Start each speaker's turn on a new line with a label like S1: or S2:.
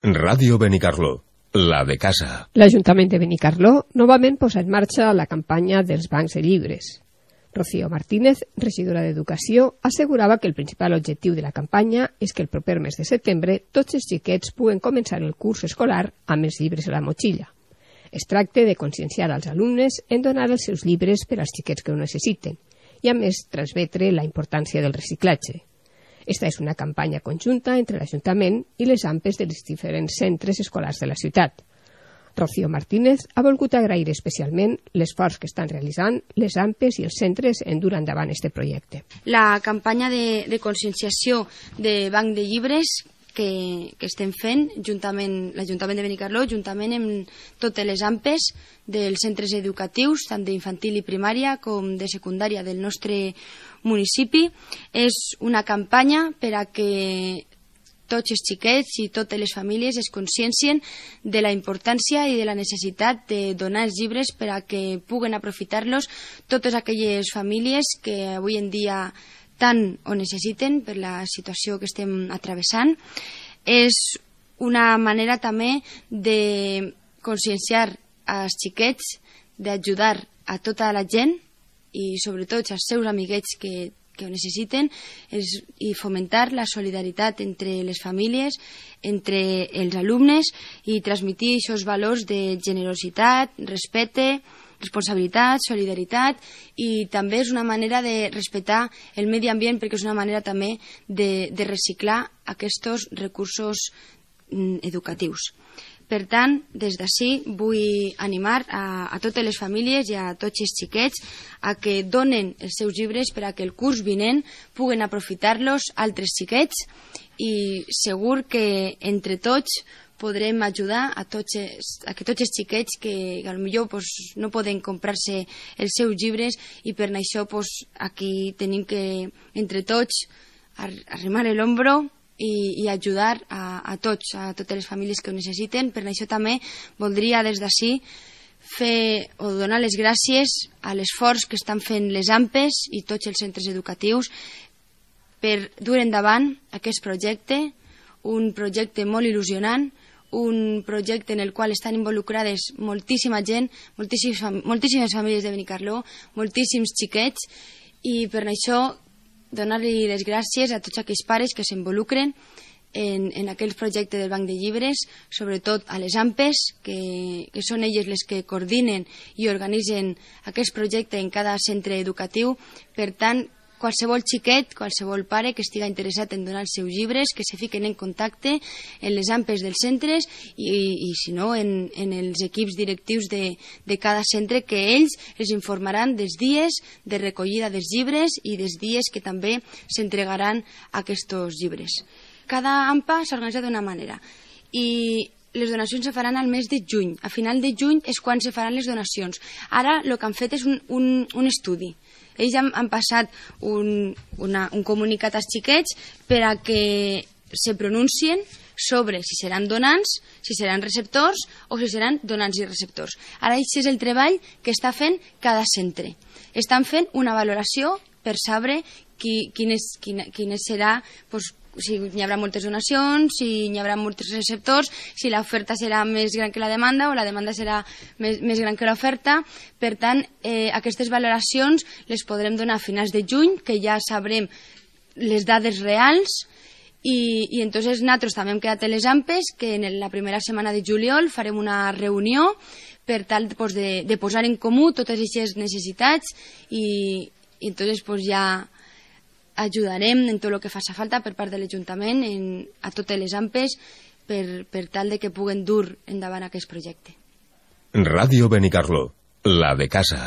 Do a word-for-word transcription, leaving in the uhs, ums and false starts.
S1: Ràdio Benicarló, la de casa.
S2: L'Ajuntament de Benicarló novament posa en marxa la campanya dels bancs de llibres. Rocío Martínez, regidora d'Educació, assegurava que el principal objectiu de la campanya és que el proper mes de setembre tots els xiquets puguen començar el curs escolar amb els llibres a la motxilla. Es tracta de conscienciar als alumnes en donar els seus llibres per als xiquets que ho necessiten i, a més, transmetre la importància del reciclatge. Esta és una campanya conjunta entre l'Ajuntament i les A M P Es dels diferents centres escolars de la ciutat. Rocío Martínez ha volgut agrair especialment l'esforç que estan realitzant les A M P Es i els centres en dur endavant aquest projecte.
S3: La campanya de, de conscienciació de Banc de Llibres que, que estem fent juntament l'Ajuntament de Benicarló, juntament amb totes les A M P Es dels centres educatius, tant d'infantil i primària com de secundària del nostre municipi, és una campanya per a que tots els xiquets i totes les famílies es consciencien de la importància i de la necessitat de donar els llibres per a que puguen aprofitar-los totes aquelles famílies que avui en dia tant ho necessiten per la situació que estem atravessant. És una manera també de conscienciar als xiquets, d'ajudar a tota la gent i sobretot als seus amiguets que, que ho necessiten és, i fomentar la solidaritat entre les famílies, entre els alumnes i transmetre aquests valors de generositat, respecte, responsabilitat, solidaritat i també és una manera de respectar el medi ambient perquè és una manera també de, de reciclar aquests recursos mm, educatius. Per tant, des d'ací vull animar a, a totes les famílies i a tots els xiquets a que donen els seus llibres per a que el curs vinent puguen aprofitar-los altres xiquets i segur que entre tots podrem ajudar a, tots els, a que tots els xiquets que potser pues, no poden comprar-se els seus llibres i per això pues, aquí tenim que entre tots arrimar l'ombro i, i ajudar a, a tots, a totes les famílies que ho necessiten. Per això també voldria des d'ací fer o donar les gràcies a l'esforç que estan fent les A M P Es i tots els centres educatius per dur endavant aquest projecte, un projecte molt il·lusionant, un projecte en el qual estan involucrades moltíssima gent, moltíssimes, moltíssimes famílies de Benicarló, moltíssims xiquets i per això donar-li les gràcies a tots aquells pares que s'involucren en, en aquell projecte del Banc de Llibres, sobretot a les A M P Es, que, que són elles les que coordinen i organitzen aquest projecte en cada centre educatiu. Per tant, qualsevol xiquet, qualsevol pare que estigui interessat en donar els seus llibres, que se fiquen en contacte en les A M P Es dels centres i, i si no, en, en els equips directius de, de cada centre, que ells els informaran dels dies de recollida dels llibres i dels dies que també s'entregaran aquests llibres. Cada A M P A s'ha organitzat d'una manera i les donacions se faran al mes de juny. A final de juny és quan se faran les donacions. Ara el que han fet és un, un, un estudi. Ells han, han passat un, una, un comunicat als xiquets per a que se pronuncien sobre si seran donants, si seran receptors o si seran donants i receptors. Ara això és el treball que està fent cada centre. Estan fent una valoració per saber qui, quin, és, quin, quin serà, doncs, si hi haurà moltes donacions, si hi haurà molts receptors, si l'oferta serà més gran que la demanda o la demanda serà més, més gran que l'oferta. Per tant, eh, aquestes valoracions les podrem donar a finals de juny, que ja sabrem les dades reals i, i entonces nosaltres també hem quedat a les A M P Es que en la primera setmana de juliol farem una reunió per tal pues, de, de posar en comú totes aquestes necessitats i, i entonces pues, ja ajudarem en tot el que faci falta per part de l'Ajuntament a totes les A M P Es per, per tal de que puguen dur endavant aquest projecte.
S1: Ràdio Benicarló, la de casa.